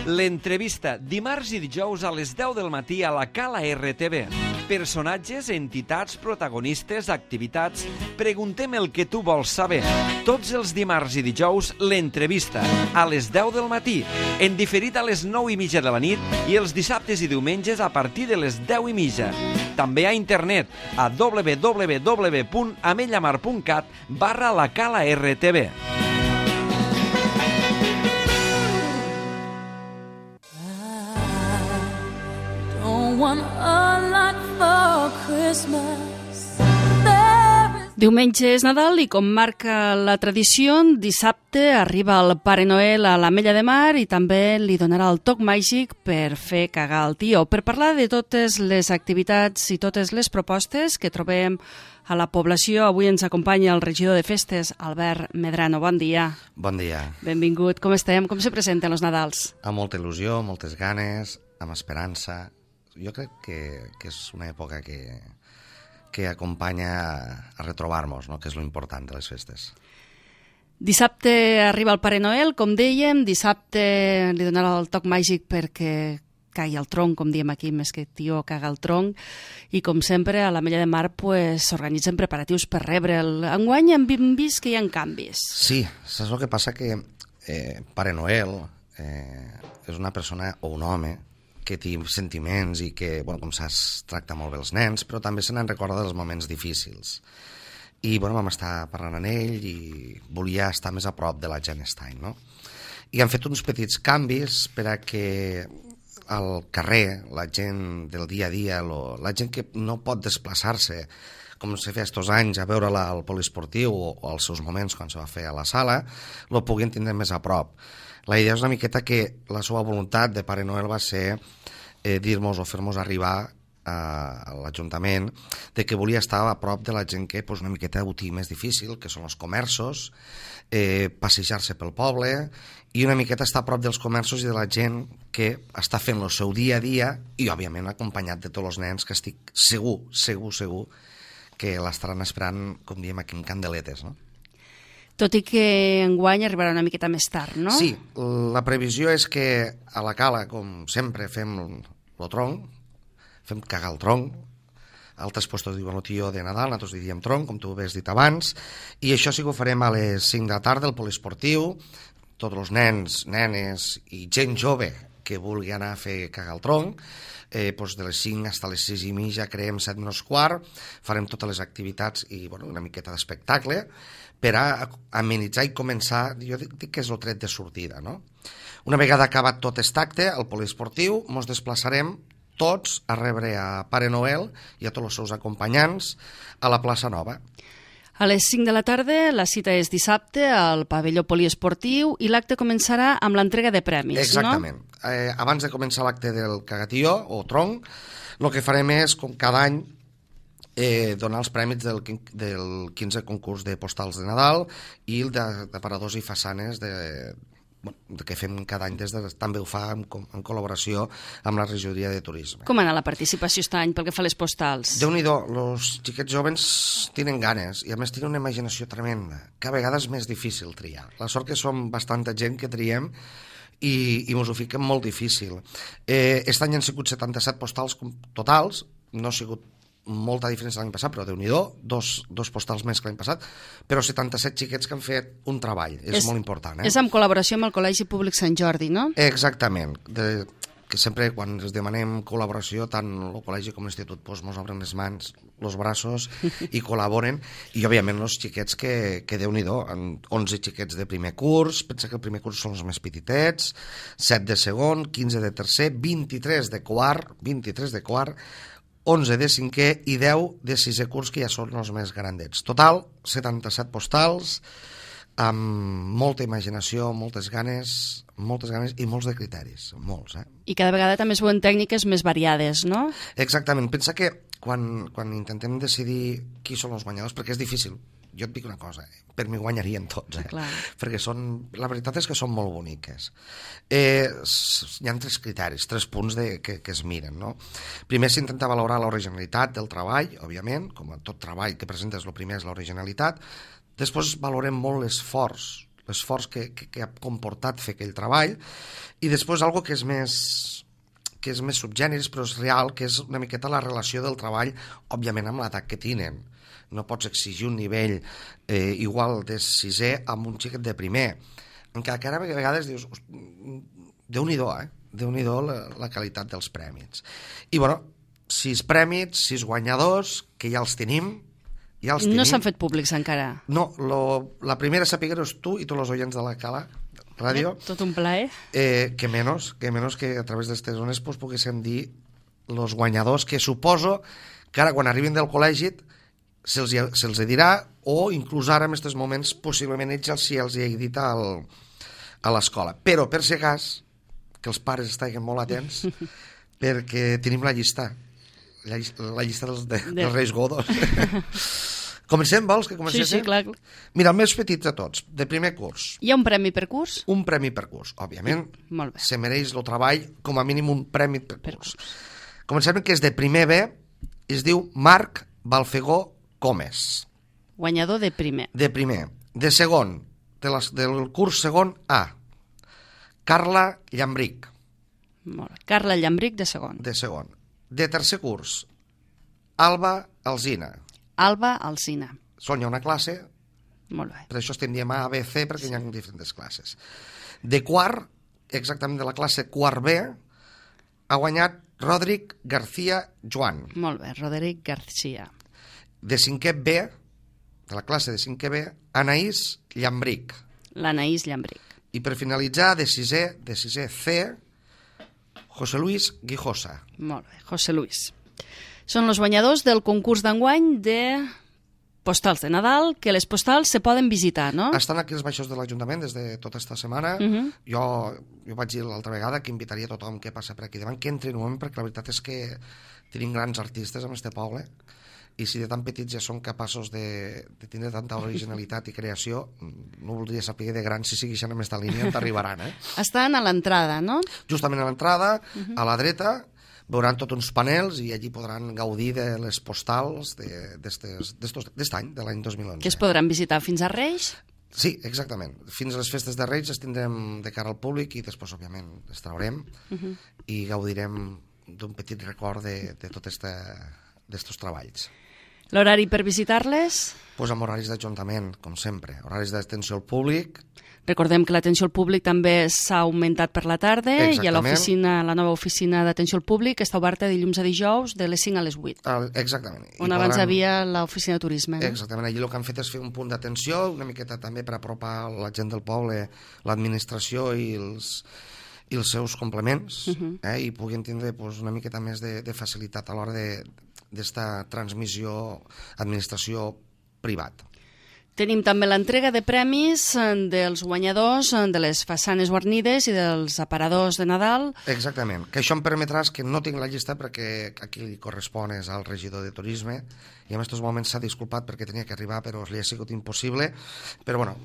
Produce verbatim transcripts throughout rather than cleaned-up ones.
L'entrevista, dimarts i dijous a les deu del matí a la Cala R T V. Personatges, entitats, protagonistes, activitats... Preguntem el que tu vols saber. Tots els dimarts i dijous, l'entrevista, a les deu del matí, en diferit a les nou i mitja de la nit i els dissabtes i diumenges a partir de les deu i mitja. També a internet, a w w w punt amellamar punt cat barra la Cala R T V. Diumenge és Nadal i, com marca la tradició, dissabte arriba el Pare Noel a l'Ametlla de Mar i també li donarà el toc màgic per fer cagar el tió. Per parlar de totes les activitats i totes les propostes que trobem a la població, avui ens acompanya el regidor de Festes, Albert Medrano. Bon dia. Bon dia. Benvingut. Com estem? Com se presenten els Nadals? Amb molta il·lusió, moltes ganes, amb esperança. Jo crec que, que és una època que... que acompanya a retrobar-nos, no? Que és lo important de les festes. Dissabte arriba el Pare Noel, com dèiem, dissabte li donarà el toc màgic perquè cagui el tronc, com diem aquí, més que tió caga el tronc, i com sempre a l'Ametlla de Mar s'organitzen pues, preparatius per rebre'l. Enguany hem vist que hi ha canvis. Sí, saps el que passa? Que eh, Pare Noel eh, és una persona o un home que té sentiments i que, bueno, com saps, tracta molt bé els nens, però també se n'en recorda dels moments difícils. I, bueno, vam estar parlant amb ell i volia estar més a prop de la gent aquest any, no? I han fet uns petits canvis per a que al carrer, la gent del dia a dia, lo, la gent que no pot desplaçar-se, com se feia estos anys, a veure-la al poliesportiu o, o als seus moments quan se va fer a la sala, lo puguin tindre més a prop. La idea és una miqueta que la seva voluntat de Pare Noel va ser eh, dir-nos o fer-nos arribar a, a l'Ajuntament de que volia estar a prop de la gent que pues, una miqueta ho té més difícil, que són els comerços, eh, passejar-se pel poble i una miqueta estar a prop dels comerços i de la gent que està fent el seu dia a dia i, òbviament, acompanyat de tots els nens que estic segur, segur, segur que l'estaran esperant, com diem aquí, en candeletes, no? Tot i que enguany arribarà una miqueta més tard, no? Sí, la previsió és que a la Cala, com sempre, fem el tronc, fem cagar el tronc, altres puestos diuen el tió de Nadal, nosaltres diríem tronc, com tu has dit abans, i això sí que ho farem a les cinc de la tarda, al poliesportiu, tots els nens, nenes i gent jove que vulgui anar a fer cagar el tronc, eh, doncs de les cinc fins a les sis i mitja, creem set menys quart, farem totes les activitats i bueno, una miqueta d'espectacle, per a amenitzar i començar, jo dic, dic que és el tret de sortida, no? Una vegada acabat tot aquest acte, al poliesportiu, ens desplaçarem tots a rebre a Pare Noel i a tots els seus acompanyants a la plaça Nova. A les cinc de la tarda, la cita és dissabte al pavelló poliesportiu i l'acte començarà amb l'entrega de premis, Exactament. no? Exactament. Eh, abans de començar l'acte del cagatió o tronc, el que farem és, com cada any, Eh, donar els prèmits del, del quinze concurs de postals de Nadal i el de, de paradors i façanes de, bueno, de que fem cada any des de, també ho fa en, en col·laboració amb la regidoria de turisme. Com anar la participació aquest any pel que fa a les postals? Déu-n'hi-do, els xiquets jovens tenen ganes i a més tenen una imaginació tremenda, que a vegades és més difícil triar. La sort que som bastanta gent que triem i, i mos ho fiquem molt difícil. Eh, aquest any han sigut setanta-set postals totals, no ha sigut molta diferència l'any passat, però Déu-n'hi-do, dos, dos postals més que l'any passat, però setanta-set xiquets que han fet un treball, és, és molt important. Eh? És en col·laboració amb el Col·legi Públic Sant Jordi, no? Exactament, de, que sempre quan ens demanem col·laboració, tant el col·legi com l'institut doncs, ens obren les mans, els braços i col·laboren, i òbviament els xiquets que, que Déu-n'hi-do, onze xiquets de primer curs, pensa que el primer curs són els més petitets, set de segon, quinze de tercer, vint-i-tres de quart, vint-i-tres de quart, onze de cinquè i deu de sisè curs, que ja són els més grandets. Total, setanta-set postals, amb molta imaginació, moltes ganes, moltes ganes i molts de criteris, molts, eh? I cada vegada també es veuen tècniques més variades, no? Exactament. Pensa que quan, quan intentem decidir qui són els guanyadors, perquè és difícil, jo et dic una cosa, eh? Per mi guanyarien tots, eh? Clar. Perquè són, la veritat és que són molt boniques. Eh, hi ha tres criteris, tres punts de, que, que es miren, no? Primer s'intenta valorar l'originalitat del treball, òbviament, com a tot treball que presentes, el primer és l'originalitat. Després valorem molt l'esforç, l'esforç que, que, que ha comportat fer aquell treball, i després algo que és més que és més subgèneres però és real, que és una miqueta la relació del treball, òbviament amb l'edat que tenen. No pots exigir un nivell eh, igual de sisè amb un xiquet de primer, encara que ara a vegades dius Déu-n'hi-do, eh? Déu-n'hi-do la, la qualitat dels prèmits. I bueno, sis prèmits, sis guanyadors, que ja els tenim, ja els tenim. No s'han fet públics encara. No, lo, la primera a saber-ho és tu i tots els oients de la Cala Ràdio. Eh, tot un plaer. Eh, que menys, que menys que a través d'aquestes zones pues, poguéssim dir els guanyadors, que suposo que ara quan arribin del col·legi se'ls se dirà, o inclús ara en aquests moments possiblement ells si els hi he dit al, a l'escola. Però per si cas, que els pares estiguin molt atents, perquè tenim la llista, la, la llista dels, de, dels Reis Godos. Comencem, vols que comencem? Sí, sí, clar. Mira, els més petits de tots, de primer curs. Hi ha un premi per curs? Un premi per curs, òbviament. Molt bé. Se mereix el treball, com a mínim un premi per, per curs. curs. Comencem que és de primer B, es diu Marc Balfegó Comes. Guanyador de primer. De primer. De segon, de les, del curs segon A, Carla Llambric. Molt bé. Carla Llambric de segon. De segon. De tercer curs, Alba Alzina. Alba Alzina. Són ja una classe, molt bé. Per això estem dient A, B, C, perquè sí. Hi ha diferents classes. De quart, exactament de la classe quart B, ha guanyat Rodric García Joan. Molt bé, Roderic García. De cinquè B, de la classe de cinquè B, Anaïs Llambric. L'Anaïs Llambric. I per finalitzar, de sisè, de sisè C, José Luis Guijosa. Molt bé, José Luis. Són els guanyadors del concurs d'enguany de postals de Nadal, que les postals se poden visitar, no? Estan aquí els baixos de l'Ajuntament des de tota aquesta setmana. Uh -huh. jo, jo vaig dir l'altra vegada que invitaria a tothom que passa per aquí davant, que entri en un moment, perquè la veritat és que tenim grans artistes en este poble, i si de tan petits ja són capaços de, de tindre tanta originalitat i creació, no voldria saber de grans si segueixen en aquesta línia on t'arribaran, eh? Estan a l'entrada, no? Justament a l'entrada, uh -huh. a la dreta, veuran tots uns panels i allí podran gaudir de les postals d'aquest any, de l'any dos mil onze. Que es podran visitar fins a Reis? Sí, exactament. Fins a les festes de Reis les tindrem de cara al públic i després, òbviament, les traurem uh -huh. i gaudirem d'un petit record de, de tots aquests treballs. L'horari per visitar-les? Pues amb horaris d'Ajuntament, com sempre. Horaris d'atenció al públic. Recordem que l'atenció al públic també s'ha augmentat per la tarda. Exactament. I a l'oficina, la nova oficina d'atenció al públic està oberta de dilluns a dijous de les cinc a les vuit. Exactament. On I abans podran... havia l'oficina de turisme. No? Exactament. Allí el que han fet és fer un punt d'atenció, una miqueta també per apropar la gent del poble, l'administració i els, i els seus complements, uh -huh. eh, i puguin tindre pues, una miqueta més de, de facilitat a l'hora d'esta transmissió administració-privat. Tenim també l'entrega de premis dels guanyadors de les façanes guarnides i dels aparadors de Nadal. Exactament, que això em permetràs que no tinc la llista perquè aquí li correspon és al regidor de turisme i en aquests moments s'ha disculpat perquè tenia que arribar però li ha sigut impossible, però bueno,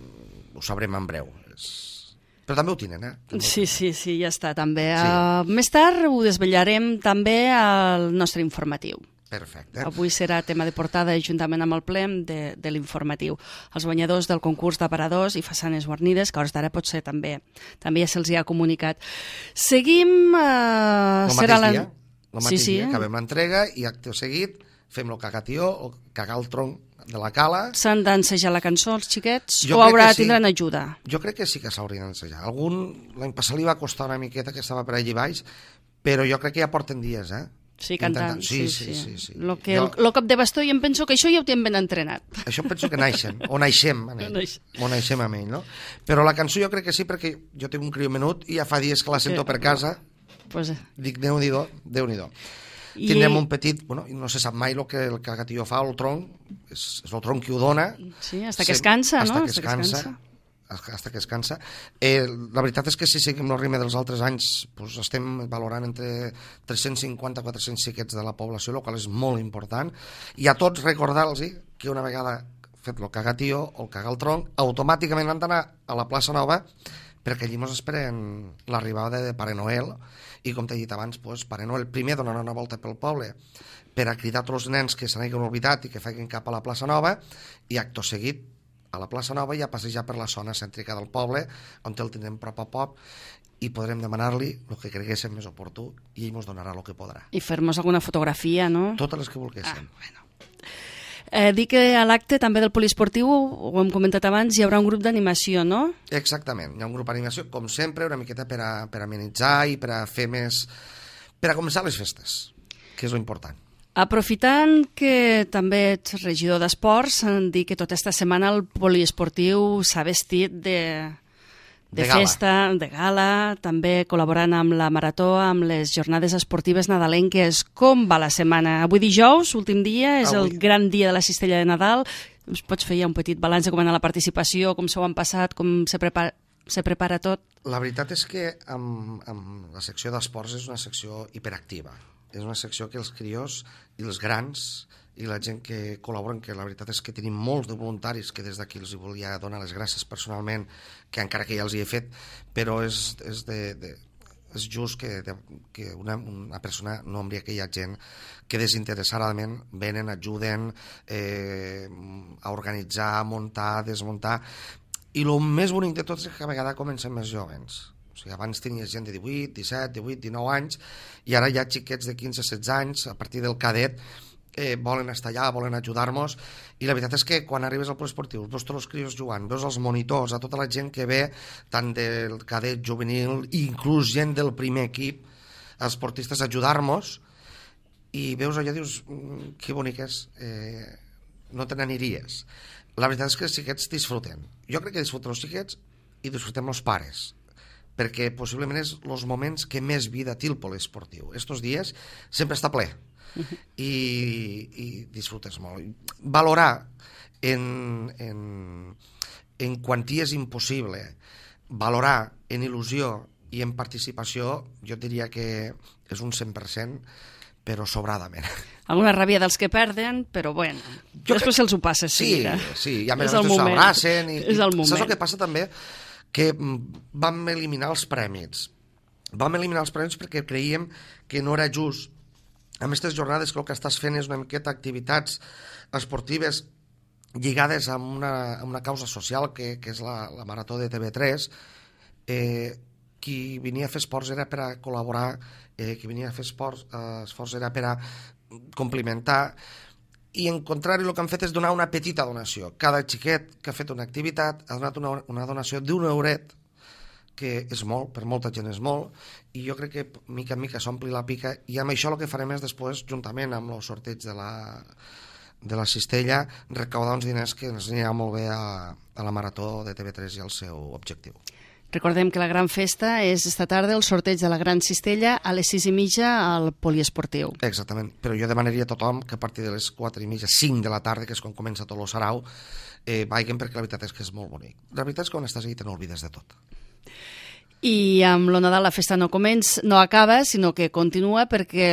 ho sabrem en breu. És... Però també ho tenen, eh? També sí, sí, sí, ja està, també. Sí. Uh, més tard ho desvetllarem també al nostre informatiu. Perfecte. Avui serà tema de portada juntament amb el ple de, de l'informatiu. Els guanyadors del concurs d'aparadors i façanes guarnides, que a hores d'ara potser també també ja se'ls ha comunicat. Seguim... Eh, el serà mateix la... dia, el mateix sí, sí. dia, acabem l'entrega i acte seguit fem el cagatió o cagar el tronc de la cala. S'han d'ensejar la cançó els xiquets jo o haurà sí. tindran ajuda? Jo crec que sí que s'haurien d'ensejar. Algun, l'any passat li va costar una miqueta que estava per allí baix, però jo crec que ja porten dies, eh? Sí, cantant. Sí, sí, sí. sí, sí. Lo que, jo... el, el cop de bastó, jo em penso que això ja ho tenen ben entrenat. Això em penso que naixen, o naixem amb ell, o naixem amb ell, no? Però la cançó jo crec que sí, perquè jo tinc un criu menut i ja fa dies que la sento per casa, pues... dic, Déu-n'hi-do, Déu-n'hi-do. I... Tindrem un petit, bueno, no se sap mai el que el cagatillo fa, el tronc, és, és el tronc qui ho dona. Sí, hasta que es cansa, hasta no? Que es cansa. Hasta que es cansa. Eh, la veritat és que si seguim el ritme dels altres anys pues, estem valorant entre tres-cents cinquanta a quatre-cents xiquets de la població, el qual és molt important, i a tots recordar-los que una vegada fet el cagatío o el cagar el tronc, automàticament han d'anar a la plaça Nova perquè allí ens esperen l'arribada de Pare Noel i com t'he dit abans, pues, Pare Noel primer donarà una volta pel poble per a cridar tots els nens que se n'hagin oblidat i que facin cap a la plaça Nova i acto seguit a la plaça Nova i a passejar per la zona cèntrica del poble, on el tindrem prop a prop, i podrem demanar-li el que creguéssim més oportú i ell ens donarà el que podrà. I fer-nos alguna fotografia, no? Totes les que volguéssim. Ah, bueno. Eh, dic que a l'acte també del poliesportiu, ho hem comentat abans, hi haurà un grup d'animació, no? Exactament, hi ha un grup d'animació, com sempre, una miqueta per a, per a amenitzar i per a fer més... per a començar les festes, que és lo important. Aprofitant que també ets regidor d'esports, dir que tota esta setmana el poliesportiu s'ha vestit de... de, de festa, gala. de gala, també col·laborant amb la Marató, amb les jornades esportives nadalenques. Com va la setmana? Avui dijous, últim dia, és Avui. el gran dia de la cistella de Nadal. Ens pots fer ja un petit balanç de com ha anat la participació, com s'ho han passat, com se prepara, se prepara tot? La veritat és que amb, amb la secció d'esports és una secció hiperactiva. És una secció que els crios i els grans i la gent que col·laboren, que la veritat és que tenim molts de voluntaris que des d'aquí els volia donar les gràcies personalment, que encara que ja els hi he fet, però és, és, de, de, és just que, de, que una, una persona, no em diria que hi ha gent que desinteressadament venen, ajuden eh, a organitzar, a muntar, a desmuntar, i el més bonic de tot és que a vegades comencen més jovens. O sigui, abans tenies gent de divuit, disset, divuit, dinou anys, i ara hi ha xiquets de quinze, setze anys, a partir del cadet, eh, volen estar allà, volen ajudar-nos, i la veritat és que quan arribes al poliesportiu, veus tots els crios jugant, veus els monitors, a tota la gent que ve, tant del cadet, juvenil, inclús gent del primer equip, els esportistes ajudar-nos, i veus allò i dius, que bonic és, eh, no te n'aniries. La veritat és que els xiquets disfruten. Jo crec que disfruten els xiquets i disfrutem els pares, perquè possiblement és els moments que més vida té el poliesportiu. Estos dies sempre està ple i, i disfrutes molt. Valorar en, en, en quantia és impossible, valorar en il·lusió i en participació, jo diria que és un cent per cent, però sobradament. Alguna ràbia dels que perden, però bueno, jo després crec... se'ls ho passa. Sí, sí, i a més s'abracen. I, és el moment. Saps el que passa també? Que vam eliminar els prèmits. Vam eliminar els prèmits perquè creiem que no era just. Amb aquestes jornades que el que estàs fent és una miqueta activitats esportives lligades a una, a una causa social que, que és la, la Marató de T V tres. Eh, qui venia a fer esports era per a col·laborar, eh, qui venia a fer esports, eh, esports era per a complimentar, i en contrari el que han fet és donar una petita donació. Cada xiquet que ha fet una activitat ha donat una, una donació d'un euret, que és molt, per molta gent és molt, i jo crec que mica en mica s'ompli la pica, i amb això el que farem és després, juntament amb el sorteig de la, de la cistella, recaudar uns diners que ens anirà molt bé a, a la Marató de T V tres i al seu objectiu. Recordem que la gran festa és esta tarda el sorteig de la gran cistella a les sis i mitja al poliesportiu. Exactament, però jo demanaria a tothom que a partir de les quatre i mitja, cinc de la tarda, que és quan comença tot el sarau, eh, vagin, perquè la veritat és que és molt bonic. La veritat és que quan estàs allà te n'oblides de tot. I amb lo Nadal la festa no comença, no acaba, sinó que continua, perquè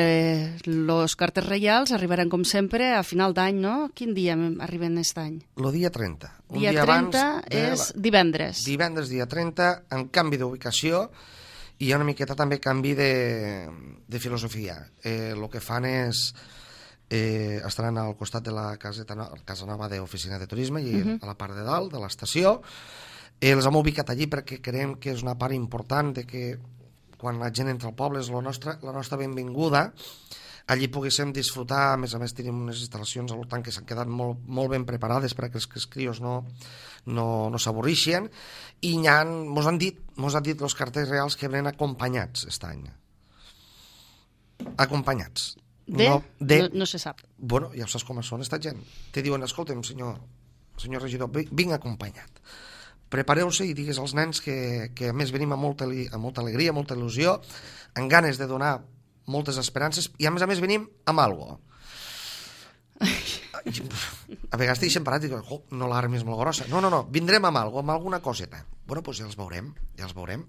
els cartes reials arribaran, com sempre, a final d'any, no? Quin dia arriben aquest any? El dia trenta. Un dia, dia trenta és la... divendres. Divendres, dia trenta, en canvi d'ubicació, i hi ha una miqueta també canvi de, de filosofia. Eh, el que fan és... Eh, estaran al costat de la caseta, casa nova d'oficina de turisme i uh-huh. a la part de dalt, de l'estació. Eh, els hem ubicat allí perquè creiem que és una part important de que quan la gent entra al poble és la nostra, la nostra benvinguda. Allí poguéssim disfrutar, a més a més tenim unes instal·lacions al voltant que s'han quedat molt, molt ben preparades perquè els, els crios no, no, no s'avorrixen, i hi ha, mos han dit, mos han dit els cartells reals que venen acompanyats aquest any. Acompanyats. De? No, de... no, no se sap. Bueno, ja saps com són esta gent. Te diuen, escolta'm, senyor, senyor regidor, vinc acompanyat. Prepareu-se i digues als nens que, que a més venim amb molta, amb molta alegria, molta il·lusió, amb ganes de donar moltes esperances, i a més a més venim amb alguna cosa. A vegades t'hi deixen parat i diuen, oh, no l'arma és molt grossa. No, no, no, vindrem amb alguna cosa, amb alguna coseta. Bueno, doncs ja els veurem, ja els veurem.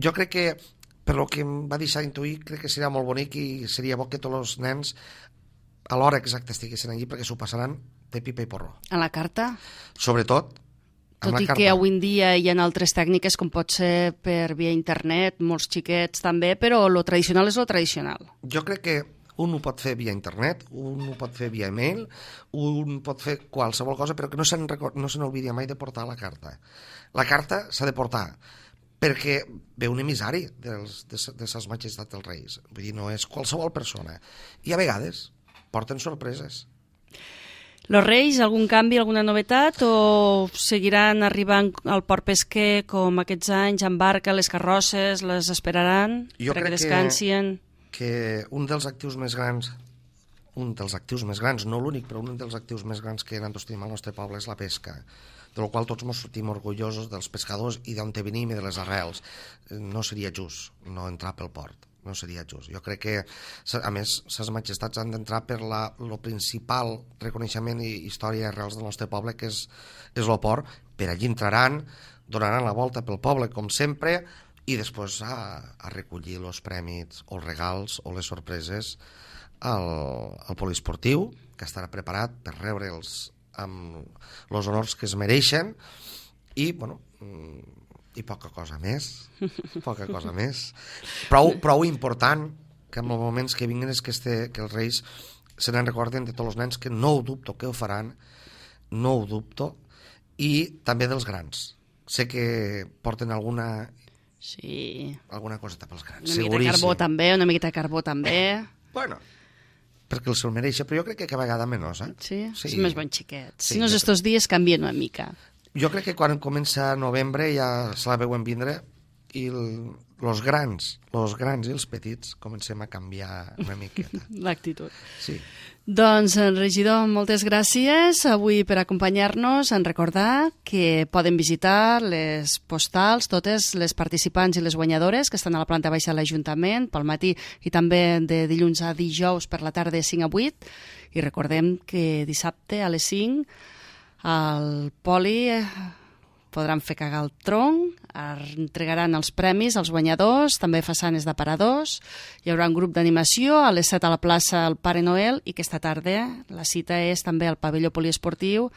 Jo crec que, per lo que em va deixar intuir, crec que seria molt bonic i seria bo que tots els nens a l'hora exacta estiguessin allí, perquè s'ho passaran de pipa i porró. A la carta? Sobretot, tot i que avui en dia hi ha altres tècniques, com pot ser per via internet, molts xiquets també, però lo tradicional és lo tradicional. Jo crec que Un ho pot fer via internet, un ho pot fer via email, un pot fer qualsevol cosa, però que no se'n no se n'oblidi mai de portar la carta. La carta s'ha de portar, perquè ve un emissari dels, de, de ses majestats dels reis. Vull dir, no és qualsevol persona. I a vegades porten sorpreses. Los Reis, algun canvi, alguna novetat, o seguiran arribant al port pesquer com aquests anys, en barca, les carrosses, les esperaran jo perquè crec descansien? Que, que un dels actius més grans, un dels actius més grans, no l'únic, però un dels actius més grans que nosaltres tenim al nostre poble és la pesca, de la qual tots ens sentim orgullosos dels pescadors i d'on venim i de les arrels. No seria just no entrar pel port. No seria just. Jo crec que, a més, ses majestats han d'entrar per la, lo principal reconeixement i història i arrels del nostre poble, que és, és el port. Per allí entraran, donaran la volta pel poble, com sempre, i després a, a recollir els premis, o els regals, o les sorpreses al, al poliesportiu, que estarà preparat per rebre'ls amb els honors que es mereixen, i, bueno, i poca cosa més, poca cosa més. Prou, prou important que en els moments que vinguin és que, este, que els reis se n'en recorden de tots els nens, que no ho dubto que ho faran, no ho dubto, i també dels grans. Sé que porten alguna, sí. alguna coseta pels grans, una miqueta de carbó també, una miqueta de carbó també. Bueno, perquè el se'l mereix, però jo crec que cada vegada menys, eh? Sí, sí. És més bon xiquet. Sí, si no, jo... estos dies canvien una mica. Jo crec que quan comença novembre ja se la veuen vindre i el, los grans, los grans i els petits comencem a canviar una miqueta. L'actitud. Sí. Doncs, regidor, moltes gràcies avui per acompanyar-nos, en recordar que poden visitar les postals, totes les participants i les guanyadores que estan a la planta baixa de l'Ajuntament pel matí i també de dilluns a dijous per la tarda de cinc a vuit, i recordem que dissabte a les cinc al poli podran fer cagar el tronc, entregaran els premis als guanyadors, també façanes d'aparadors, hi haurà un grup d'animació a les set a la plaça el Pare Noel, i aquesta tarda la cita és també al pavelló poliesportiu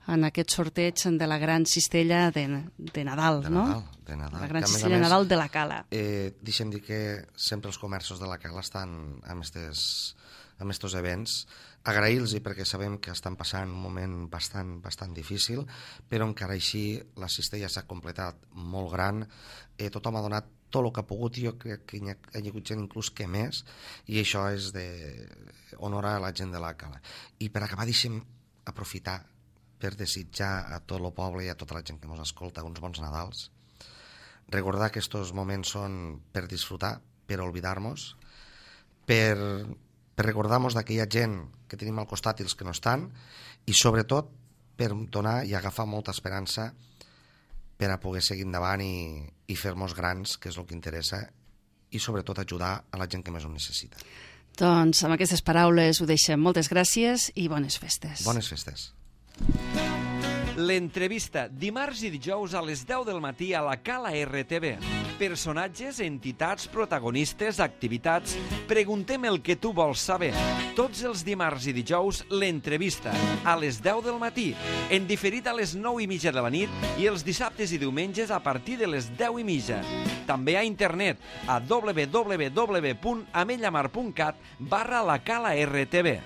en aquest sorteig de la gran cistella de, de Nadal, de no? Nadal, de Nadal. La gran que, cistella de Nadal de la Cala. Eh, deixem dir que sempre els comerços de la Cala estan amb estes, amb estos events. Agrair-los perquè sabem que estan passant un moment bastant, bastant difícil, però encara així la cistella s'ha completat molt gran, eh, tothom ha donat tot el que ha pogut, i jo crec que hi ha, hi ha hagut gent inclús que més, i això és d'honorar a la gent de la Cala. I per acabar deixem aprofitar per desitjar a tot el poble i a tota la gent que ens escolta uns bons Nadals, recordar que aquests moments són per disfrutar, per oblidar-nos, per... per recordar-nos d'aquella gent que tenim al costat i els que no estan, i sobretot per donar i agafar molta esperança per a poder seguir endavant i, i fer-nos grans, que és el que interessa, i sobretot ajudar a la gent que més ho necessita. Doncs amb aquestes paraules ho deixem. Moltes gràcies i bones festes. Bones festes. L'entrevista, dimarts i dijous a les deu del matí a la Cala R T V. Personatges, entitats, protagonistes, activitats... Preguntem el que tu vols saber. Tots els dimarts i dijous, l'entrevista, a les deu del matí, en diferit a les nou i mitja de la nit, i els dissabtes i diumenges a partir de les deu i mitja. També a internet, a w w w punt amellamar punt cat barra la Cala R T V.